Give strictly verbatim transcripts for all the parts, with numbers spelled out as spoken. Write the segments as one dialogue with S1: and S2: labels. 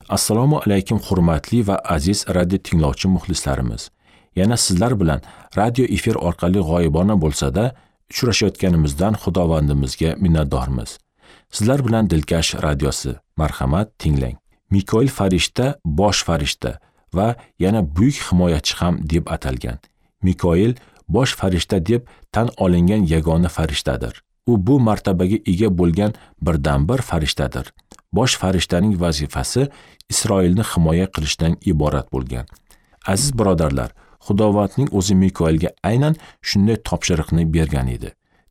S1: Assalomu alaykum hurmatli va aziz radio tinglovchi muxlislarimiz. Yana sizlar bilan radio efir orqali g'oyibona bo'lsa-da uchrashayotganimizdan Xudovandimizga minnatdormiz. Sizlar bilan Dilkash radiosi. Marhamat, tinglang. Mikoil farishta bosh farishta va yana buyuk himoyachi ham deb atalgan. Mikoil bosh farishta deb tan olingan yagona farishtadir. U bu martabaga ega bo'lgan birdan-bir farishtadir. Bosh farishtaning vazifasi Isroilni himoya qilishdan iborat bo'lgan. Aziz birodarlar, Xudovandning o'zi Mikoilga aynan shunday topshiriqni bergan edi.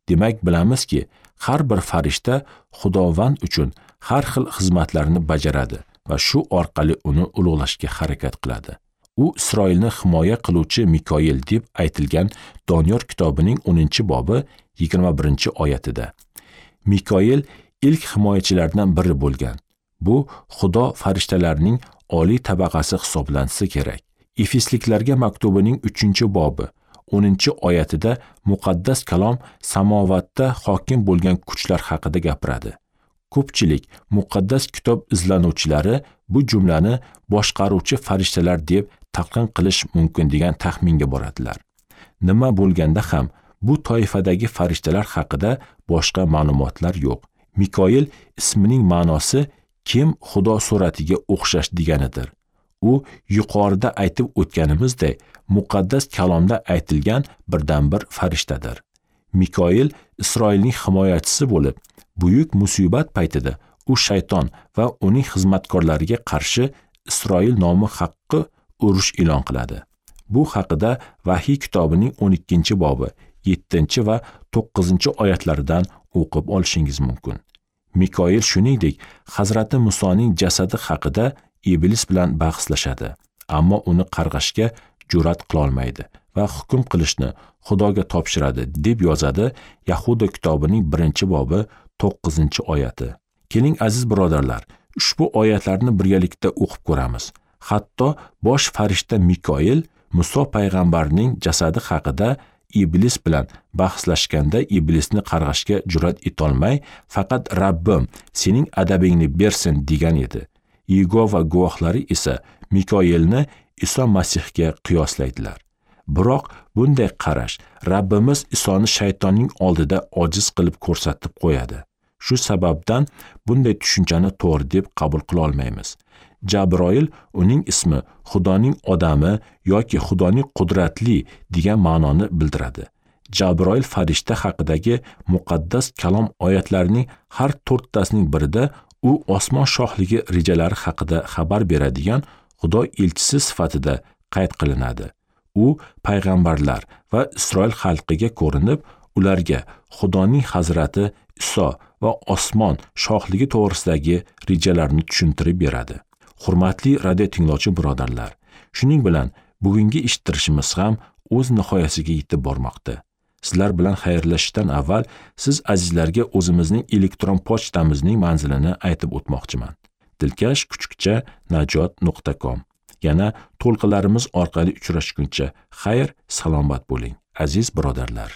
S1: Demak, bilamizki, har bir farishta Xudovand uchun har xil xizmatlarni bajaradi va shu orqali uni ulug'lashga harakat qiladi. U Isroilni himoya qiluvchi Mikoil deb aytilgan Doniyor kitobining o'ninchi bobi yigirma birinchi oyatida. Mikoil ilk himoyachilardan biri bo'lgan. Bu Xudo farishtalarining oliy tabaqasi hisoblansa kerak. Efesliklarga maktubining uchinchi bobi o'ninchi oyatida muqaddas kalom samovatda hokim bo'lgan kuchlar haqida gapiradi. Ko'pchilik muqaddas kitob izlanuvchilari bu jumlani boshqaruvchi farishtalar deb talqin qilish mumkin degan taxminga boradilar. Nima bo'lganda ham bu toifadagi farishtalar haqida boshqa ma'lumotlar yo'q. Mikoil ismining ma'nosi kim Xudo suratiga o'xshash deganidir. U yuqorida aytib o'tganimizdek muqaddas kalomda aytilgan birdan-bir farishtadir. Mikoil Isroilning himoyachisi bo'lib, buyuk musibat paytida u shayton va uning xizmatkorlariga qarshi Isroil nomi haqqi urush e'lon qiladi. Bu haqida Vahiy kitobining o'n ikkinchi bobi yettinchi va to'qqizinchi oyatlaridan o'qib olishingiz mumkin. Mikoil shuningdek Hazrati Musoning jasadi haqida Iblis bilan bahslashadi, ammo uni qarg'ashga jur'at qila olmaydi va hukm qilishni Xudoga topshiradi deb yozadi Yahuda kitobining birinchi bobi to'qqizinchi oyati. Keling aziz birodarlar, ushbu oyatlarni birgalikda o'qib ko'ramiz. Hatto bosh farishta Mikoil Muso payg'ambarning jasadi haqida Iblis bilan bahslashganda Iblisni qarg'ashga jur'at etolmay, faqat Rabbim sening adabingni bersin degan edi. Yegova guvohlari esa Mikoilni Iso Masihga qiyoslaydilar. Biroq bunday qarash Rabbimiz Isoni shaytonning oldida ojiz qilib ko'rsatib qo'yadi. Shu sababdan bunday tushunchani to'g'ri deb qabul qila olmaymiz. Jabroil uning ismi Xudoning odami yoki Xudoning qudratli degan ma'noni bildiradi. Jabroil farishta haqidagi muqaddas kalom oyatlarining har to'rttasining birida u osmon shohligi rejalari haqida xabar beradigan Xudo elchisi sifatida qayd qilinadi. U payg'ambarlar va Isroil xalqiga ko'rinib, ularga Xudoning Hazrati Iso va osmon shohligi to'g'risidagi rejalarni tushuntirib beradi. Hurmatli radio tinglovchi birodarlar, shuning bilan bugungi eshittirishimiz ham o'z nihoyasiga yetib bormoqda. Sizlar bilan xayrlashishdan avval siz azizlarga o'zimizning elektron pochtamizning manzilini aytib o'tmoqchiman. Dilkash kuchukcha najot nuqta com. Yana to'lqinlarimiz orqali uchrashguncha xayr, salomat bo'ling, aziz birodarlar.